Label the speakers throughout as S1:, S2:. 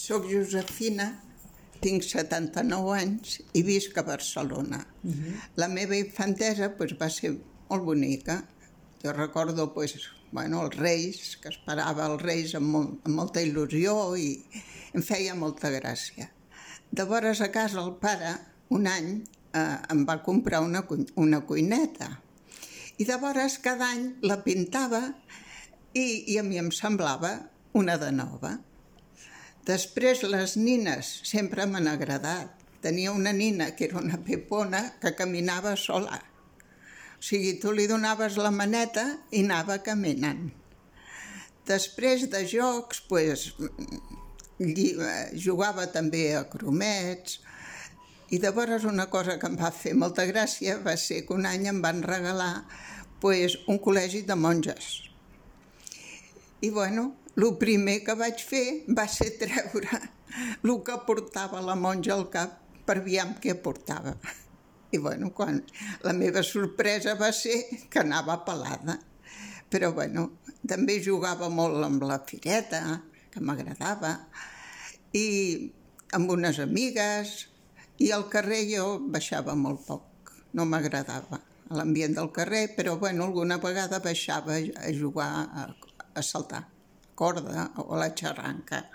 S1: Soc Josefina, tinc 79 anys i visc a Barcelona. La meva infantesa va ser molt bonica. Jo recordo els Reis, que esperava els Reis amb molta il·lusió i em feia molta gràcia. Llavors a casa el pare, un any, em va comprar una cuineta i llavors cada any la pintava i a mi em semblava una de nova. Després les nines sempre m'han agradat. Tenia una nina que era una pepona que caminava sola. O sigui, tu li donaves la maneta i anava caminant. Després de jocs, jugava també a gromets. I llavors una cosa que em va fer molta gràcia va ser que un any em van regalar un col·legi de monges. I el primer que vaig fer va ser treure el que portava la monja al cap per aviam què portava. I la meva sorpresa va ser que anava pelada. Però també jugava molt amb la fireta, que m'agradava, i amb unes amigues, i al carrer jo baixava molt poc, no m'agradava l'ambient del carrer, però alguna vegada baixava a jugar a saltar corda o a la xarranca,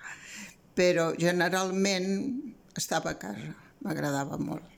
S1: però generalment estava a casa, m'agradava molt.